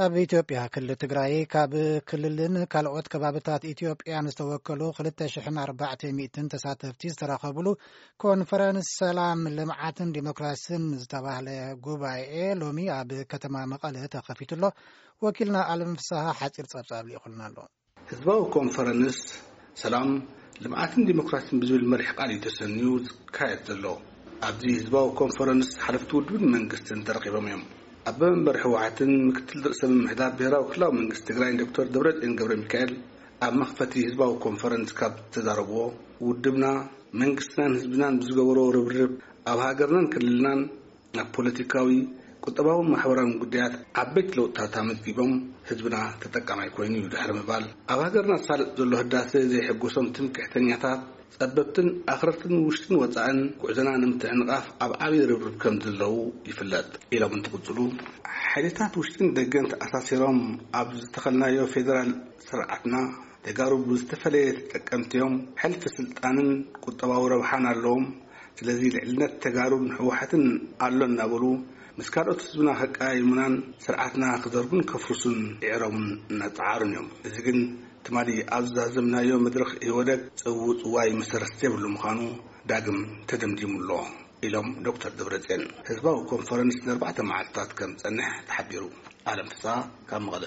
ኣብ ኢትዮጵያ ክልል ትግራይ ካብ ክልልን ካልኦት ከባብታት ኢትዮጵያን ዝተወከሉ ክልተ ሽሕን ኣርባዕተ ሚእትን ተሳተፍቲ ዝተረኸብሉ ኮንፈረንስ ሰላም፣ ልምዓትን ዲሞክራስን ዝተባህለ ጉባኤ ሎሚ ኣብ ከተማ መቐለ ተኸፊቱ ኣሎ። ወኪልና ኣለም ፍስሃ ሓፂር ጸብጻብ ልኢኹልና ኣሎ። ህዝባዊ ኮንፈረንስ ሰላም፣ ልምዓትን ዲሞክራሲን ብዝብል መሪሕ ቃል እዩ ተሰንዩ ዝካየድ ዘሎ። ኣብዚ ህዝባዊ ኮንፈረንስ ሓለፍቲ ውድብን መንግስትን ተረኺቦም እዮም። ኣቦ መንበር ህወሓትን ምክትል ርእሰ ምምሕዳር ብሄራዊ ክልላዊ መንግስቲ ትግራይ ዶክተር ደብረጽዮን ገብረ ሚካኤል ኣብ መኽፈቲ ህዝባዊ ኮንፈረንስ ካብ ዝተዛረብዎ፣ ውድብና መንግስትናን ህዝብናን ብዝገበሮ ርብርብ ኣብ ሃገርናን ክልልናን ኣብ ፖለቲካዊ፣ ቁጠባውን ማሕበራውን ጉዳያት ዓበይቲ ለውጥታት ኣመዝጊቦም ህዝብና ተጠቃማይ ኮይኑ እዩ ድሕሪ ምባል፣ ኣብ ሃገርና ዝሳለጥ ዘሎ ህዳሰ ዘይሕጎሶም ትምክሕተኛታት፣ ጸበብትን ኣኽረርትን ውሽጥን ወጻእን ጉዕዞና ንምትዕንቓፍ ኣብ ዓብዪ ርብርብ ከም ዘለዉ ይፍለጥ ኢሎም እንትቕጽሉ፣ ሓይልታት ውሽጥን ደገን ተኣሳሲሮም ኣብ ዝተኸልናዮ ፌደራል ስርዓትና፣ ተጋሩ ብዝተፈለየ ተጠቀምቲ እዮም። ሕልፊ ስልጣንን ቁጠባዊ ረብሓን ኣለዎም። ስለዚ ልዕልነት ተጋሩን ህወሓትን ኣሎ እናበሉ ምስ ካልኦት ህዝብና ከቀያይሙናን ስርዓትና ክዘርጉን ከፍርሱን ይዕረሙን እናጸዓሩን እዮም። እዚ ግን ትማሊ ኣብ ዝዛዘምናዮ መድረኽ ኢህወደግ ጽውጽዋይ መሰረት ዘይብሉ ምዃኑ ዳግም ተደምዲሙ ኣሎ ኢሎም ዶክተር ደብረጽዮን። ህዝባዊ ኮንፈረንስ ንኣርባዕተ መዓልታት ከም ዝጸንሕ ተሓቢሩ። ኣለም ፍስሃ ካብ መቐለ።